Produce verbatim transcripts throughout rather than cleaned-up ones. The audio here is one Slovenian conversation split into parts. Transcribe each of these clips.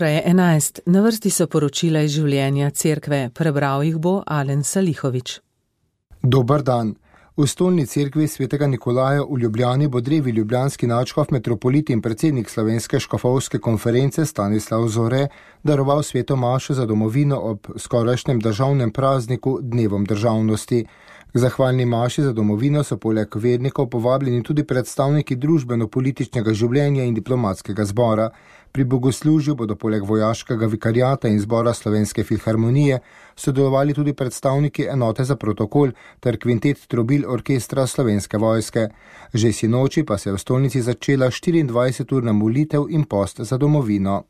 Ura je enajst, na vrsti so poročila iz življenja cerkve, prebral jih bo Alen Salihovič. Dober dan. V stolni cerkvi svetega Nikolaja v Ljubljani bo drevi ljubljanski nadškof, metropolit in predsednik Slovenske škofovske konference Stanislav Zore daroval sveto mašo za domovino ob skorajšnjem državnem prazniku Dnevom državnosti. K zahvalni maši za domovino so poleg vernikov povabljeni tudi predstavniki družbeno-političnega življenja in diplomatskega zbora. Pri bogoslužju bodo poleg vojaškega vikariata in zbora Slovenske filharmonije sodelovali tudi predstavniki enote za protokol ter kvintet trobil orkestra Slovenske vojske. Že sinoči pa se je v stolnici začela štiriindvajseturna molitev in post za domovino.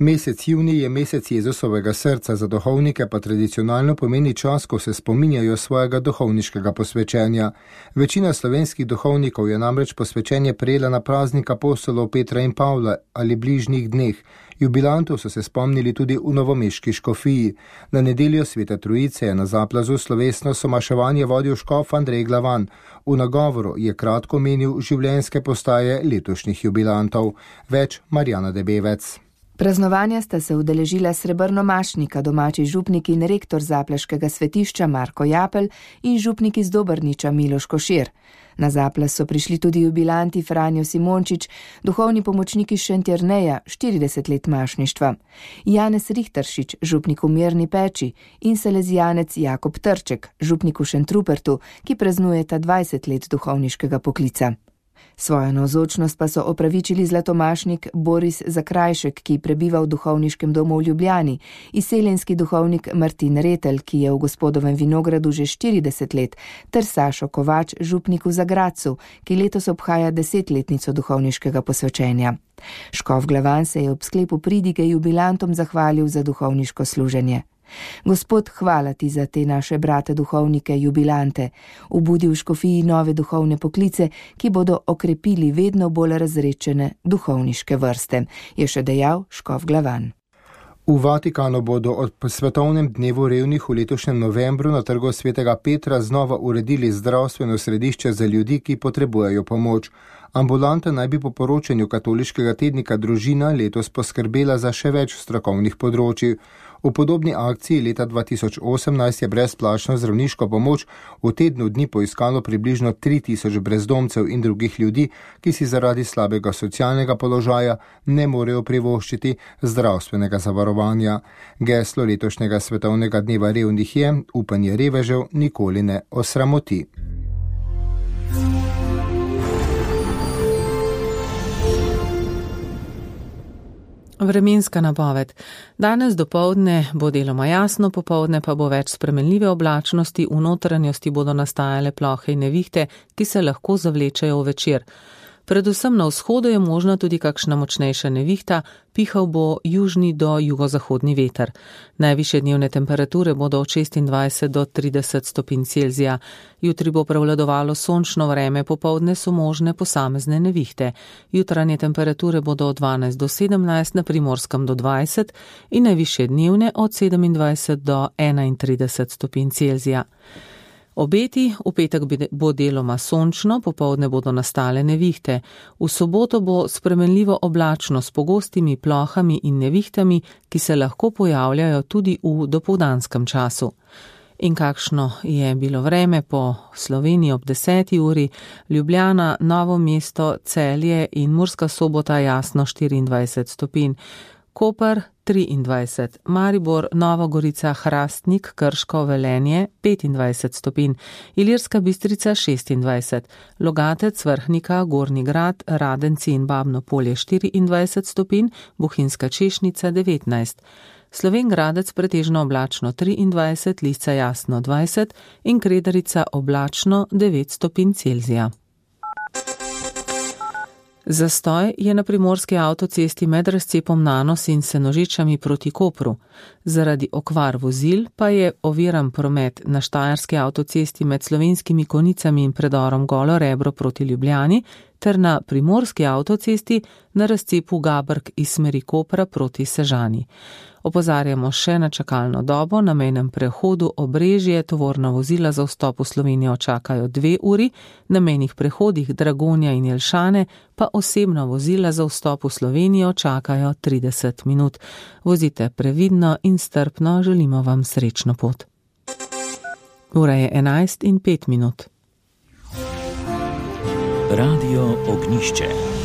Mesec junij je mesec Jezusovega srca, za duhovnike pa tradicionalno pomeni čas, ko se spominjajo svojega duhovniškega posvečenja. Večina slovenskih duhovnikov je namreč posvečenje prejela na praznik apostolov Petra in Pavla ali bližnjih dneh. Jubilantov so se spomnili tudi v novomeški škofiji. Na nedeljo Svete Trojice je na Zaplazu slovesno somaševanje vodil škof Andrej Glavan. V nagovoru je kratko menil življenjske postaje letošnjih jubilantov. Več Marjana Debevec. Praznovanja sta se udeležila srebrnomašnika, domači župnik in rektor zapleškega svetišča Marko Japelj in župnik iz Dobrniča Miloš Košir. Na Zaples so prišli tudi jubilanti Franjo Simončič, duhovni pomočniki Šentjerneja, štirideset let mašništva, Janez Rihteršič, župnik v Mirni Peči in salezijanec Jakob Trček, župnik v Šentrupertu, ki praznujeta dvajset let duhovniškega poklica. Svojo navzočnost pa so opravičili zlatomašnik Boris Zakrajšek, ki prebiva v duhovniškem domu v Ljubljani, izseljenski duhovnik Martin Retelj, ki je v Gospodovem Vinogradu že štirideset let, ter Sašo Kovač, župnik v Zagradcu, ki letos obhaja desetletnico duhovniškega posvečenja. Škof Glavan se je ob sklepu pridige jubilantom zahvalil za duhovniško služenje. Gospod, hvala ti za te naše brate duhovnike, jubilante, obudi v škofiji nove duhovne poklice, ki bodo okrepili vedno bolj razrečene duhovniške vrste, je še dejal škof Glavan. V Vatikanu bodo ob svetovnem dnevu revnih v letošnjem novembru na trgu svetega Petra znova uredili zdravstveno središče za ljudi, ki potrebujejo pomoč. Ambulanta naj bi po poročanju katoliškega tednika Družina letos poskrbela za še več strokovnih področij. V podobni akciji leta dva tisoč osemnajst je brezplačno zdravniško pomoč v tednu dni poiskalo približno tri tisoč brezdomcev in drugih ljudi, ki si zaradi slabega socialnega položaja ne morejo privoščiti zdravstvenega zavarovanja. Geslo letošnjega svetovnega dneva revnih je: upanje revežev nikoli ne osramoti. Vremenska napoved. Danes dopoldne bo deloma jasno, popoldne pa bo več spremenljive oblačnosti, v notranjosti bodo nastajale plohe in nevihte, ki se lahko zavlečejo v večer. Predvsem na vzhodu je možna tudi kakšna močnejša nevihta, pihal bo južni do jugozahodni veter. Najvišje dnevne temperature bodo od šestindvajset do trideset stopinj Celzija. Jutri bo prevladovalo sončno vreme, popoldne so možne posamezne nevihte. Jutranje temperature bodo od dvanajst do sedemnajst, na Primorskem do dvajset in najvišje dnevne od sedemindvajset do enaintrideset stopinj Celzija. Obeti, v petek bo deloma sončno, popoldne bodo nastale nevihte. V soboto bo spremenljivo oblačno s pogostimi plohami in nevihtami, ki se lahko pojavljajo tudi v dopoldanskem času. In kakšno je bilo vreme po Sloveniji ob deseti uri? Ljubljana, Novo mesto, Celje in Murska Sobota jasno štiriindvajset stopinj. Koper triindvajset, Maribor, Nova Gorica, Hrastnik, Krško, Velenje petindvajset stopinj, Ilirska Bistrica šestindvajset, Logatec, Vrhnika, Gornji Grad, Radenci in Babno Polje štiriindvajset stopinj, Bohinjska Češnica devetnajst, Slovenj Gradec pretežno oblačno triindvajset, Lisca jasno dvajset in Kredarica oblačno devet stopinj Celzija. Zastoj je na primorski avtocesti med razcepom Nanos in Senožečami proti Kopru. Zaradi okvar vozil pa je oviran promet na štajerski avtocesti med Slovenskimi Konicami in predorom Golo Rebro proti Ljubljani ter na primorski avtocesti na razcepu Gabrk iz smeri Kopra proti Sežani. Opozarjamo še na čakalno dobo, na mejnem prehodu Obrežje tovorna vozila za vstop v Slovenijo čakajo dve uri, na mejnih prehodih Dragonja in Jelšane pa osebna vozila za vstop v Slovenijo čakajo trideset minut. Vozite previdno in strpno, želimo vam srečno pot. Ura je enajst in pet minut. Radio Ognjišče.